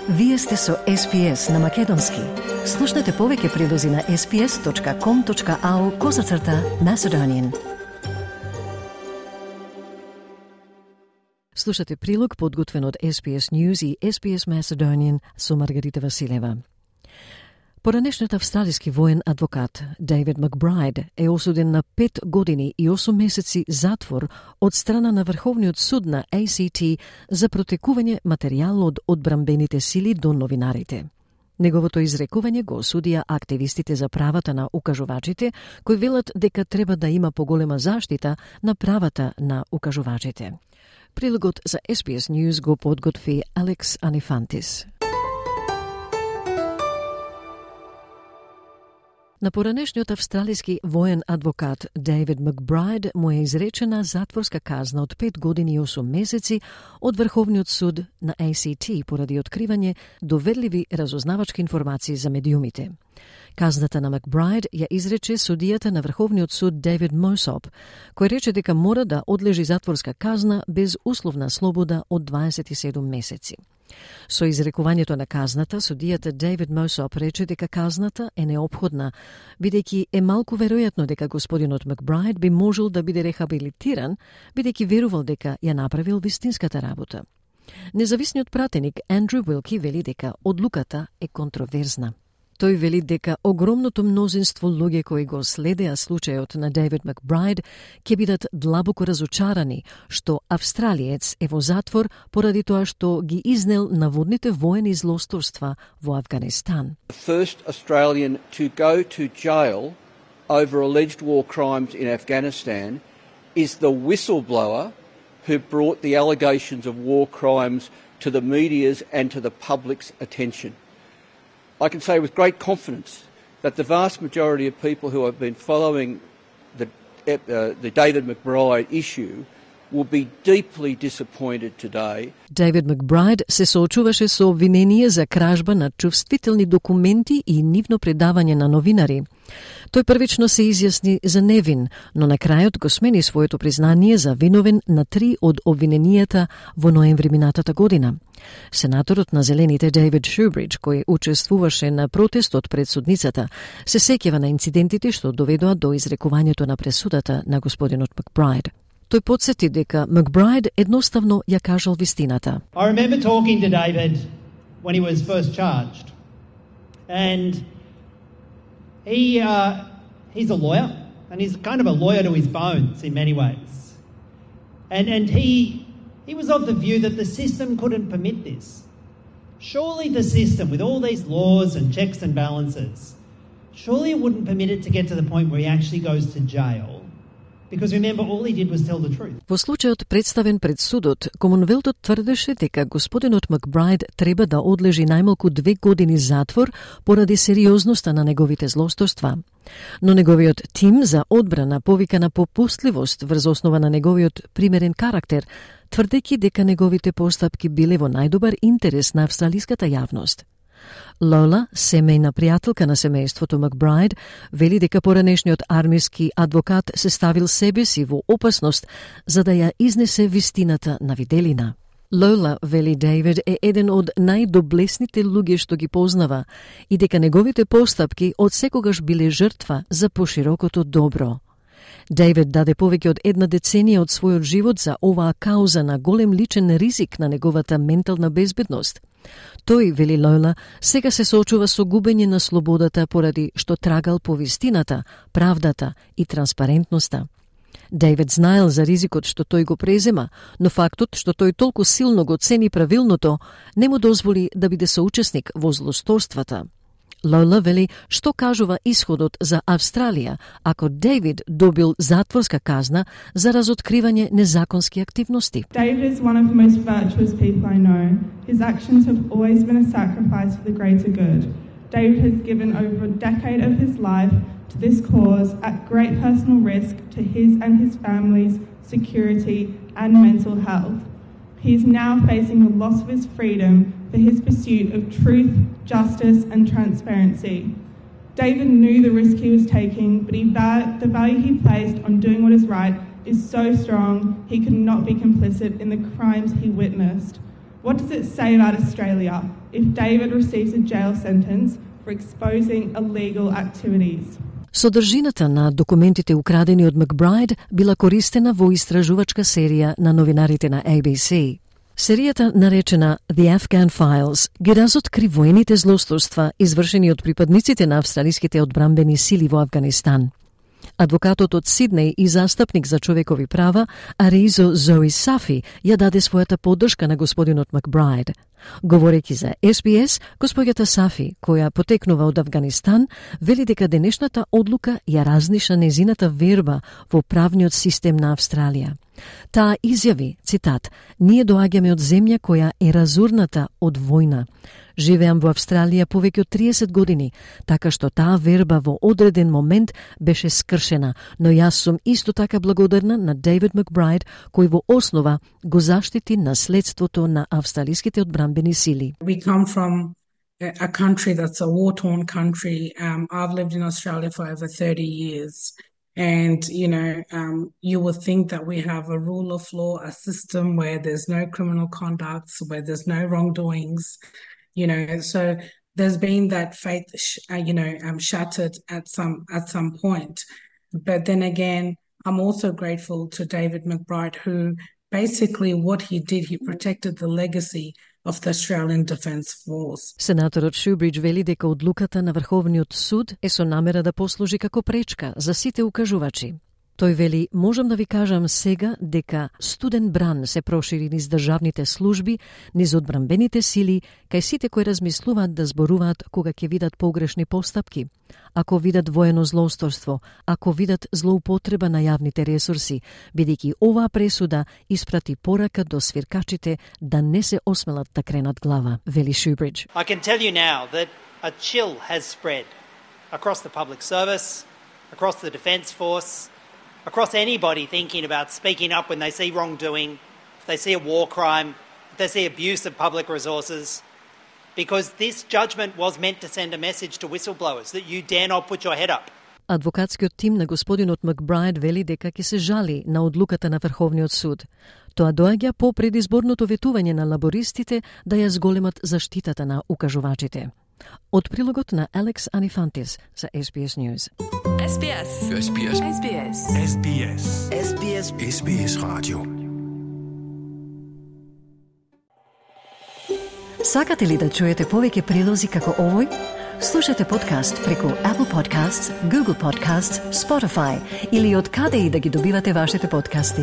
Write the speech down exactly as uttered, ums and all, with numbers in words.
Вие сте со Ес Пи Ес на Македонски. Слушнете повеќе прилози на ес пи ес точка ком точка ау козацрта Macedonian. Слушате прилог подготвен од Ес Пи Ес News и Ес Пи Ес Macedonian со Маргарита Василева. Поранешниот австралиски воен адвокат Дейвид Макбрайд е осуден на пет години и осум месеци затвор од страна на Врховниот суд на Ей Си Ти за протекување материјал од одбранбените сили до новинарите. Неговото изрекување го осудија активистите за правата на укажувачите, кои велат дека треба да има поголема заштита на правата на укажувачите. Прилогот за Ес Пи Ес News го подготви Алекс Анифантис. На поранешниот австралиски воен адвокат Дейвид Макбрайд му е изречена затворска казна од пет години и осум месеци од Врховниот суд на Ей Си Ти поради откривање доверливи разузнавачки информации за медиумите. Казната на Макбрайд ја изрече судијата на Врховниот суд Дейвид Мосоп, кој рече дека мора да одлежи затворска казна без условна слобода од дваесет и седум месеци. Со изрекувањето на казната, судијата Дейвид Мосоп рече дека казната е неопходна, бидејќи е малку веројатно дека господинот Макбрайд би можел да биде рехабилитиран, бидејќи верувал дека ја направил вистинската работа. Независниот пратеник Андрю Уилки вели дека одлуката е контроверзна. Тој вели дека огромното мнозинство луѓе кои го следеа случајот на Дейвид Макбрайд ќе бидат длабоко разочарани што австралиец е во затвор поради тоа што ги изнел наводните воени злосторства во Афганистан. The first Australian to go to jail over alleged war crimes in Afghanistan is the whistleblower who brought the allegations of war crimes to the media's and to the public's attention. I can say with great confidence that the vast majority of people who have been following the, uh, the David Macbride issue will be deeply disappointed today. Дейвид Макбрайд се соочуваше со обвинение за кражба на чувствителни документи и нивно предавање на новинари. Тој првично се изјасни за невин, но на крајот го смени своето признание за виновен на три од обвиненијата во ноември минатата година. Сенаторот на Зелените Дейвид Шубридж, кој учествуваше на протестот пред судницата, се сеќава на инцидентите што доведоа до изрекувањето на пресудата на господинот Макбрайд. Тој подсети дека Макбрайд едноставно ја кажал вистината. I remember talking to David when he was first charged. And he uh, he's a lawyer, and he's kind of a lawyer to his bones in many ways. And and he he was of the view that the system couldn't permit this. Surely the system, with all these laws and checks and balances, surely it wouldn't permit it to get to the point where he actually goes to jail. Because remember, all he did was tell the truth. Во случајот представен пред судот, Комонвелтот тврдеше дека господинот Макбрайд треба да одлежи најмалку две години затвор поради сериозноста на неговите злосторства. Но неговиот тим за одбрана повика на попустливост врз основа на неговиот примерен карактер, тврдејќи дека неговите постапки биле во најдобар интерес на австралиската јавност. Лола, семејна пријателка на семејството Макбрайд, вели дека поранешниот армиски адвокат се ставил себе си во опасност за да ја изнесе вистината на виделина. Лола, вели Дейвид, е еден од најдоблесните луѓе што ги познава и дека неговите постапки од секогаш биле жртва за поширокото добро. Дейвид даде повеќе од една деценија од својот живот за оваа кауза на голем личен ризик на неговата ментална безбедност. Тој, вели Лола, сега се соочува со губење на слободата поради што трагал по вистината, правдата и транспарентноста. Дейвид знаел за ризикот што тој го презема, но фактот што тој толку силно го цени правилното не му дозволи да биде соучесник во злосторствата. Лола вели што кажува исходот за Австралија ако Дейвид добил затворска казна за разоткривање незаконски активности. David is one of the most virtuous people I know. His actions have always been a sacrifice for the greater good. David has given over a decade of his life to this cause at great personal risk to his and his family's security and mental health. He is now facing the loss of his freedom for his pursuit of truth, justice and transparency. David knew the risk he was taking, but he va- the value he placed on doing what is right is so strong he could not be complicit in the crimes he witnessed. What does it say about Australia if David receives a jail sentence for exposing illegal activities? Содржината на документите украдени од Макбрайд била користена во истражувачка серија на новинарите на A B C. Серијата, наречена The Afghan Files, ги разоткри воените злосторства извршени од припадниците на австралиските одбранбени сили во Авганистан. Адвокатот од Сиднеј и застапник за човекови права, Аризо Зои Сафи, ја даде својата поддршка на господинот Макбрайд. Говорејќи за С Би Ес, госпоѓата Сафи, која потекнува од Авганистан, вели дека денешната одлука ја разниша незината верба во правниот систем на Австралија. Таа изјави, цитат, "Ние доаѓаме од земја која е разурната од војна. Живеам во Австралија повеќе од триесет години, така што таа верба во одреден момент беше скршена, но јас сум исто така благодарна на Дейвид Макбрайд, кој во основа го заштити наследството на австралиските одбранбени сили." We come from a country that's a war-torn country. Um, I've lived in Australia for over thirty years. And, you know, um, you would think that we have a rule of law, a system where there's no criminal conducts, where there's no wrongdoings, you know. So there's been that faith, sh- uh, you know, um, shattered at some at some point. But then again, I'm also grateful to David Macbride, who basically what he did, he protected the legacy of the Australian Defence Force. Сенаторот Шубридж вели дека одлуката на Врховниот суд е со намера да послужи како пречка за сите укажувачи. Тој вели, можам да ви кажам сега дека студен бран се прошири низ државните служби, низ одбранбените сили, кај сите кои размислуваат да зборуваат кога ќе видат погрешни постапки, ако видат воено злоусторство, ако видат злоупотреба на јавните ресурси, бидејќи оваа пресуда испрати порака до свиркачите да не се осмелат да кренат глава, вели Шубридж. I can tell you now that a chill has spread across the public service, across the Defence Force, across anybody thinking about speaking up when they see wrongdoing, if they see a war crime, if they see abuse of public resources, because this judgment was meant to send a message to whistleblowers that you dare not put your head up. Адвокатскиот тим на господинот Макбрайд вели дека ќе се жали на одлуката на Врховниот суд. Тоа доаѓа по предизборното ветување на лабористите да ја зголемат заштитата на укажувачите. Од прилогот на Алекс Анифантис за С Би Ес News. С Би Ес. С Би Ес. С Би Ес. С Би Ес. С Би Ес. С Би Ес радио. Сакате ли да чуете повеќе прилози како овој? Слушате подкаст преку Apple Podcasts, Google Podcasts, Spotify или од каде и да ги добивате вашите подкасти.